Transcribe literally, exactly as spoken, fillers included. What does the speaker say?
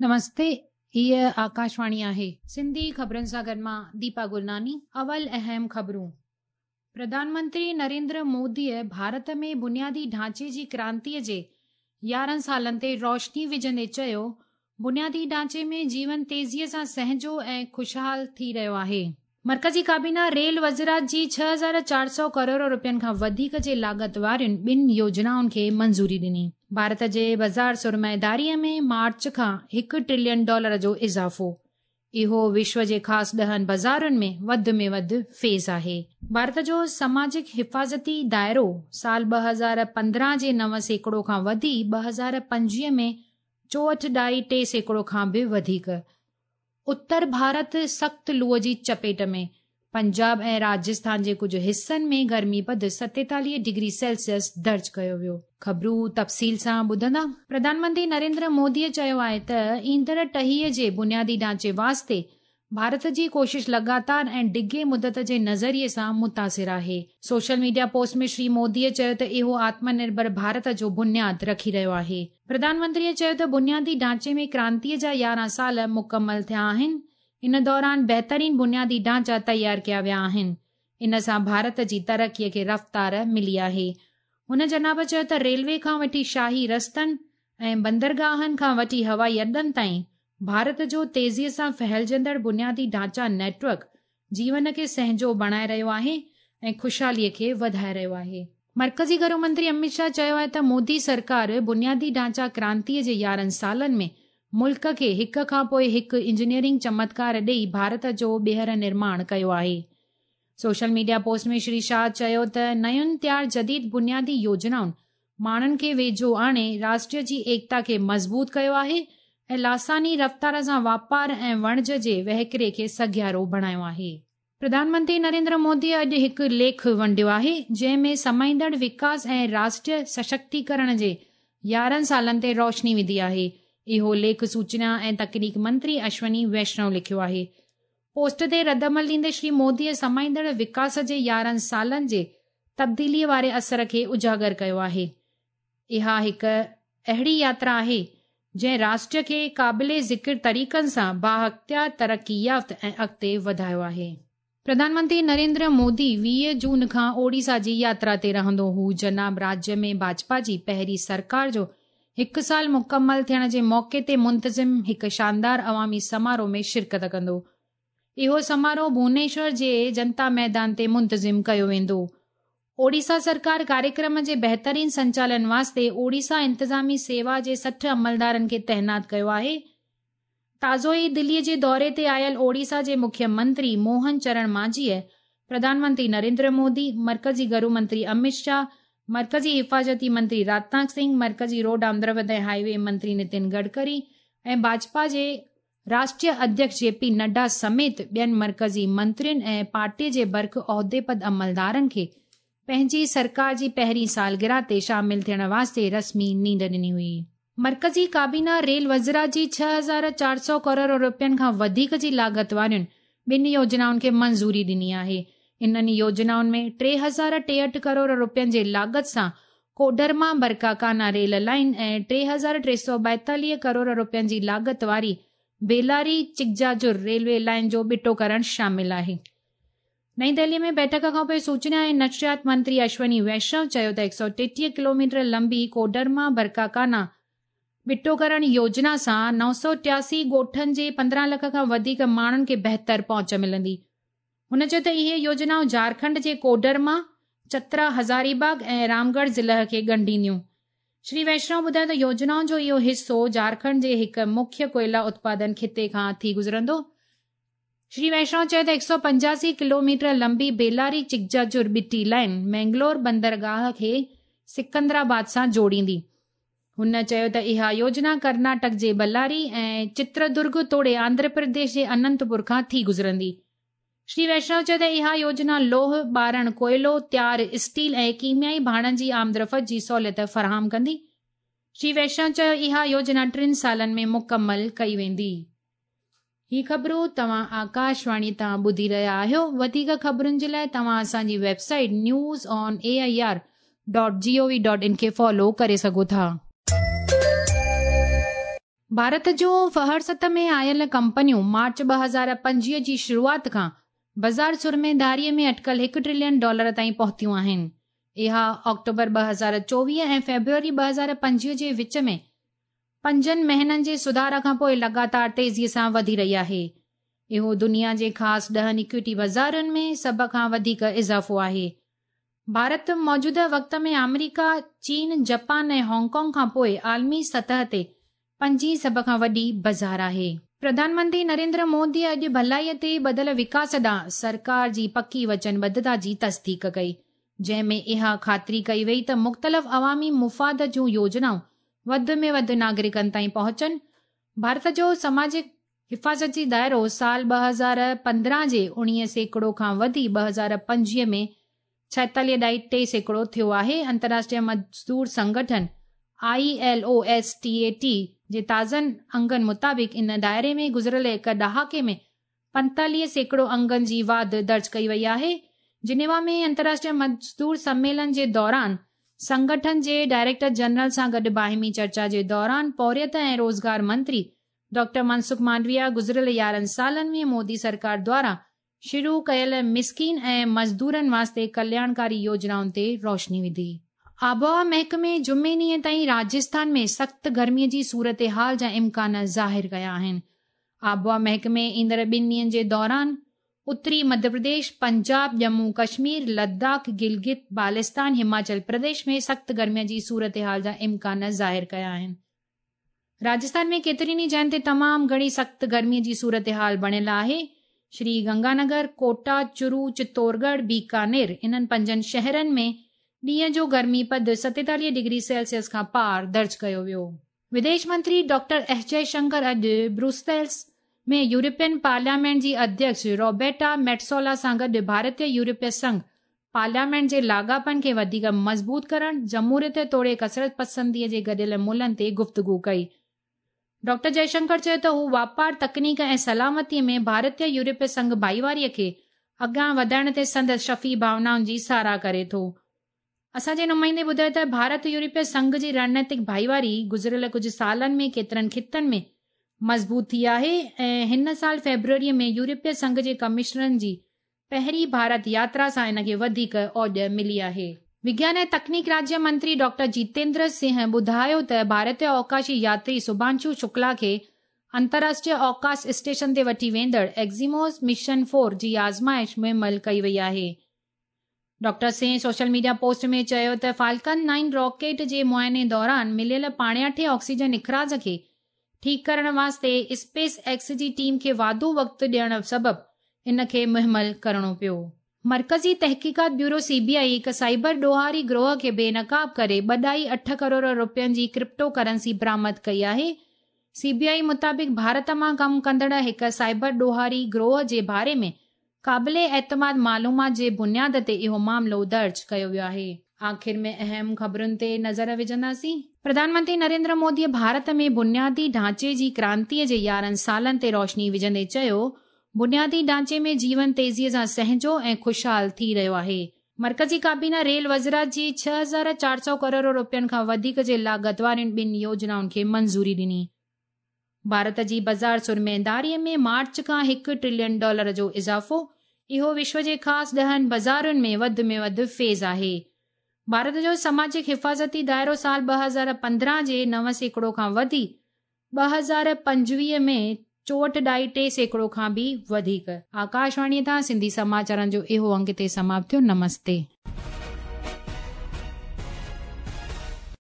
نمستي، هيء آڪاشواڻي آهي. سنڌي خبرن سان گڏ مان ديپا گرناني. اول اهم خبرون. پرڌان منتري نريندر موديء ڀارت ۾ بنيادي ڍانچي جي ڪرانتيء جي يارهن سالن تي روشني وجهندي چيو، بنيادي ڍانچي ۾ جيون تيزيء سان سهنجو ۽ خوشحال ٿي رهيو آهي. مرڪزي ڪابينا ريل وزارت جي ڇهه هزار چار سؤ ڪروڙ رپين کان وڌيڪ جي لاڳت وارين ٻن يوجنائن کي منظوري ڏني. ڀارت جي بازار سرمائيداريء ۾ مارچ کان هڪ ٽريلين ڊالر جو اضافو. اهو وشو جي خاص ڏهن بازارن ۾ وڌ ۾ وڌ فيز آهي. ڀارت جو سماجڪ حفاظتي دائرو سال ٻه هزار پندرهن جي نو سيڪڙو کان وڌي ٻه هزار پنجويهه ۾ چوهٺ ڏهائي ٽي سيڪڙو کان به وڌيڪ. اتر ڀارت سخت لوء جي چپيٽ ۾، پنجاب ۽ راجسٿان جي ڪجهه حصن ۾ گرمي پد ستيتاليهه ڊگري سيلسيس درج ڪيو ويو. خبرون تفصيل سان ٻڌندا. پرڌان منتري نريندر موديء چيو آهي ته ايندڙ ٽهيء جي بنيادي ڍانچي واسطي ڀارت جي ڪوشش لڳاتار ۽ ڊگهي مدت جي نظريي سان متاثر آهي. سوشل ميڊيا پوسٽ ۾ شري موديء چيو ته اهو آتم نرڀر ڀارت جو بنياد رکي رهيو آهي. پرڌان منتريء چيو ته بنيادي ڍانچي ۾ ڪرانتيء جا يارهن سال مڪمل ٿيا آهن. ان دوران بهترين بنيادي ڍانچا تيار ڪيا ويا آهن. ان سان ڀارت جي ترقيء کي رفتار ملي آهي. هن جناب چيو ته ريلوي کان وٺي شاهي رستن ۽ بندرگاهن کان وٺي هوائي اڏن تائين ڀارت جو تيزيء سان ڦهلجندڙ بنيادي ڍانچا نيٽ ورڪ جيون کي سهنجو بڻائي رهيو آهي ۽ خوشحاليء کي وڌائي رهيو آهي. مرڪزي گهرو منتري امت شاهه چيو آهي ته مودي سرڪار بنيادي ڍانچا ڪرانتيء جي يارهن سالن ۾ ملڪ کي هڪ کان پوءِ هڪ انجنيئرنگ چمتڪار ڏئي ڀارت جو ٻيهر نرماڻ ڪيو آهي. Social media post ۾ Shri Shah چيو ته نين تيار جديد بنيادي يوجنائن ماڻهن کي ويجهو آڻي راشٽر جي ايڪتا کي مضبوط ڪيو آهي ۽ لاثاني رفتار سان واپار ۽ وڻج جي وهڪري کي سگهارو بڻايو آهي. پرڌان منتري نريندر موديء اڄ هڪ ليک ونڊيو آهي، جنهن ۾ سمائيندڙ وڪاس ۽ راشٽريه سشڪتيڪرڻ جي يارهن سالن تي روشني وڌي آهي. اهو ليک سوچنا ۽ تڪنيڪ منتري اشوني ويشنو لکيو آهي. پوسٽ تي ردعمل ڏيندي شري موديء سمائيندڙ وڪاس جي يارهن سالن جي تبديليء واري اثر کي اجاگر ڪيو آهي. اها هڪ اهڙي ياترا آهي جنهن راشٽر کي قابل ذڪر طريقن سان بااختيار، ترقي يافته ۽ اڳتي وڌايو آهي. پرڌان منتري نريندر مودي ويهه جون کان اوڙيسا جي ياترا تي رهندو. هو جناب راجيه ۾ ڀاجپا جي پهرين سرڪار جو هڪ سال مڪمل ٿيڻ جي موقعي تي منتظم هڪ شاندار عوامي سماروهه ۾ شرڪت ڪندو. اهو سماروهه ڀونيشور جي جنتا ميدان تي منتظم ڪيو ويندو. اوڙيسا سرڪار ڪاريڪرم جي بهترين سنچالن واسطي اوڙيسا انتظامي سيوا جي سٺ عملدارن کي تعينات ڪيو آهي. تازو ئي دليء جي دوري تي آيل اوڙيسا جي مکيه منتري موهن چرڻ مانجهيء پرڌان منتري نريندر مودي، مرڪزي گهرو منتري امت شاهه، مرڪزي حفاظتي منتري راجناٿ سنگهه، مرڪزي روڊ آمدرفت ۽ هاءِ وي منتري نتن گڊڪري ۽ ڀاجپا جي راشٽريه اڌيڪش جي پي نڊا سميت ٻين مرڪزي منترين ۽ پارٽيء جي برک عهدي پد عملدارن کي پنهنجي سرڪار جي پهرين سالگرهه تي شامل ٿيڻ واسطي رسمي نينڍ ڏني هئي. مرڪزي ڪابينا ريل وزارت جي ڇهه هزار چار سؤ ڪروڙ رپين کان وڌيڪ جي لاڳت وارين ٻن يوجنائن کي منظوري ڏني آهي. انهن يوجنائن ۾ ٽي هزار ٽيهٺ ڪروڙ رپين جي لاڳت سان ڪوڊرما برڪاڪانا ريل لائين ۽ ٽي هزار ٽي سؤ ٻائيتاليهه ڪروڙ رپين جي لاڳت واري بيلاري چڪجاجور ريلوي لائين جو ٻٽو ڪرڻ شامل آهي. نئين دهليء ۾ بيٺڪ کان پوءِ سوچنا ۽ نشريات منتري اشوني ويشنو چيو ته هڪ سؤ ٽيٽيهه ڪلوميٽر لمبي ڪوڊرما برڪاڪانا ٻٽو ڪرڻ يوجنا سان نو سؤ ٽياسي ڳوٺن جي پندرهن لک کان وڌيڪ ماڻهن کي بهتر پهچ ملندي. هن چيو ته اهي يوجنائون جهارکنڊ جي ڪوڊرما، چترا، هزاري باغ ۽ رامڳڙهه ضلع کي ڳنڍينديون. شري ويشنو ٻڌايو ته يوجنائن جو اهو حصو جهارکنڊ جي هڪ مکيه ڪوئلا اتپادن خطي کان ٿي گذرندو. شري ويشنو چيو ته هڪ سؤ پنجاسي ڪلوميٽر لمبي بيلاري چڪجاجور ٻٽي لائين مينگلور بندرگاهه کي سڪندرآباد سان جوڙيندي. هن چيو ته اها يوجنا ڪرناٽڪ جي بلاري ۽ چتردرگ توڙي آنڌرا پرديش جي اننتپور کان ٿي گذرندي. شري ويشنو چيو ته اها يوجنا لوهه، ٻارڻ، ڪوئلو، تيار اسٽيل ۽ ڪيميائي ڀاڻن جي آمدرفت جي سهوليت فراهم ڪندي. شري ويشنو چيو اها يوجنا ٽن سالن ۾ مڪمل ڪئي ويندي. هي خبرون توهان آڪاشواڻي تان ٻڌي رهيا آهيو. وڌيڪ خبرن جي لاءِ توهان اسان جي website news on A I R dot G O V dot in کي فالو ڪري سگهو ٿا. ڀارت جون فهرست ۾ آيل ڪمپنيون مارچ ٻه هزار پنجويهه جي شروعات کان بازار سرمائيداريء ۾ اٽڪل هڪ ٽريلين ڊالر تائين پهتيون آهن. اها آڪٽوبر ٻه هزار چوويهه ۽ فيبروري ٻه هزار پنجويهه جي وچ ۾ پنجن مهينن جي سڌار کان پوءِ لڳاتار تيزيءَ سان وڌي رهي آهي. اهو دنيا جي خاص ڏهن ايڪوئٽي بازارن ۾ سڀ کان وڌيڪ اضافو آهي. ڀارت موجوده وقت ۾ آمريڪا، چين، جاپان ۽ هانگ ڪانگ کان پوءِ عالمي سطح تي پنجين سڀ کان وڏي بازار آهي. پرڌان منتري نريندر مودي اڄ ڀلائيءَ تي ٻڌل وڪاس ڏانهن سرڪار جي پڪي وچنبڌتا جي تصديق ڪئي، جنهن ۾ اها خاطري ڪئي وئي ته مختلف عوامي مفاد جون يوجنائون وڌ ۾ وڌ ناگرڪن تائين پهچن. ڀارت جو سماجڪ حفاظتي دائرو سال ٻه هزار پندرهن جي اڻويهه سيڪڙو کان وڌي ٻه هزار پنجويهه ۾ ڇائيتاليهه ڏائي ٽي سيڪڙو ٿيو آهي. انترراشٽريه مزدور سنگٺن I L O S T A T جي تازن انگن مطابق ان دائري ۾ گذريل هڪ ڏهاڪي ۾ پنتاليهه سيڪڙو انگن جي واڌ درج ڪئي وئي آهي. جنيوا ۾ انترراشٽريه مزدور سميلن جي دوران سنگٺن جي ڊائريڪٽر جنرل سان گڏ باهمي چرچا جي دوران پورهيت ۽ روزگار منتري ڊاڪٽر منسک مانڊويا گذريل يارهن سالن ۾ مودي سرڪار دواران شروع ڪيل مسڪين ۽ مزدورن واسطي ڪلياڻڪاري يوجنائن تي روشني وڌي. آبهوا محڪمي جمعي ڏينهن تائين راجسٿان ۾ سخت گرميءَ جي صورتحال جا امڪان ظاهر ڪيا آهن. آبهوا محڪمي ايندڙ ٻن ڏينهن جي دوران اتري مڌيه پرديش، پنجاب، ڄمون ڪشمير، لداخ، گلگت بالستان، هماچل پرديش ۾ سخت گرميءَ جي صورتحال جا امڪان ظاهر ڪيا آهن. راجسٿان ۾ ڪيترين ئي جاين تي تمام گهڻي سخت گرميءَ جي صورتحال بڻيل آهي. شري گنگانگر، ڪوٽا، چورو، چتورڳڙهه، بيڪانير انهن پنجن شهرن ۾ ڏينهن جو گرمي پد ستيتاليهه ڊگري سيلسيس کان پار درج ڪيو ويو. وديش منتري ڊاڪٽر ايس جئشنڪر اڄ بروسيلز ۾ يورپين پارليامينٽ جي اڌيڪش روبرٽا ميٽسولا سان گڏ ڀارتيه يورپي سنگهه پارليامينٽ جي لاڳاپن کي وڌيڪ مضبوط ڪرڻ، جمهوريت توڙي ڪثرت پسنديءَ جي گڏيل ملهن تي گفتگو ڪئي. ڊاڪٽر جئشنڪر چيو ته هو واپار، تڪنيڪ ۽ سلامتيءَ ۾ ڀارتيه يورپي سنگهه ڀائيواريءَ کي اڳيان وڌائڻ تي سندس شفي ڀاونائن جي ساراهه ڪري ٿو. اسان جي نمائندي ٻڌايو ته ڀارت يورپي سنگهه جي رڻنيتڪ ڀائيواري گذريل ڪجهه سالن ۾ ڪيترن خطن ۾ مضبوط ٿي آهي ۽ هن سال فيبروريءَ ۾ يورپي سنگهه جي ڪمشنرن جي پهرين ڀارت ياترا سان ان کي وڌيڪ اوڄ ملي آهي. وگيان ۽ تڪنيڪ راجيه منتري ڊاڪٽر جتيندر سنگهه ٻڌايو ته ڀارتيه اوڪاشي ياتري شڀانشو شڪلا کي انترراشٽريه اوڪاش اسٽيشن تي وٺي ويندڙ ايگزيموس مشن فور جي آزمائش مهمل ڪئي وئي آهي. Doctor Singh social media post ۾ چيو ته فالڪن نائن راڪيٽ جي معائني دوران مليل پاڻياٺي آڪسيجن اخراج کي ٺيڪ ڪرڻ واسطي اسپيس ايڪس جي ٽيم کي واڌو وقت ڏيڻ سبب ان کي مهمل ڪرڻو پيو. مرڪزي تحقيقات بيورو سي بي آئي هڪ سائبر ڏوهاري گروهه کي بينقاب ڪري ٻه ڏهائي اٺ ڪروڙ رپين جي ڪرپٽو ڪرنسي برآمد ڪئي آهي. سي بي آئي مطابق ڀارت مان ڪم ڪندڙ هڪ سائبر ڏوهاري گروهه جي باري ۾ قابل اعتماد معلومات جي بنياد تي اهو معاملو درج ڪيو ويو آهي. آخر ۾ اهم خبرن تي نظر وجهنداسين. پرڌان منتري نريندر مودي ڀارت ۾ بنيادي ڍانچي جي ڪرانتيءَ جي يارهن سالن تي روشني وجهندي چيو، بنيادي ڍانچي ۾ جيون تيزيءَ سان سهنجو ۽ خوشحال ٿي رهيو آهي. مرڪزي ڪابينا ريل وزارت جي ڇهه هزار چار سؤ ڪروڙ رپين کان وڌيڪ جي لاڳت وارين ٻن يوجنائن کي منظوري ڏني. ڀارت جي بازار سرمائيداريءَ ۾ مارچ کان هڪ ٽريلين ڊالر جو اضافو، اهو وشو جي خاص ڏهن بازارن ۾ وڌ ۾ وڌ فيز آهي. ڀارت جو سماجڪ حفاظتي دائرو سال ٻه هزار پندرهن جي نو سيڪڙو کان وڌي ٻه هزار پنجويهه ۾ چوهٺ ڏهائي ٽي سيڪڙو کان به وڌيڪ. آڪاشواڻيءَ تان سنڌي سماچارن جو اهو انگ هتي سماپت ٿيو. نمستي.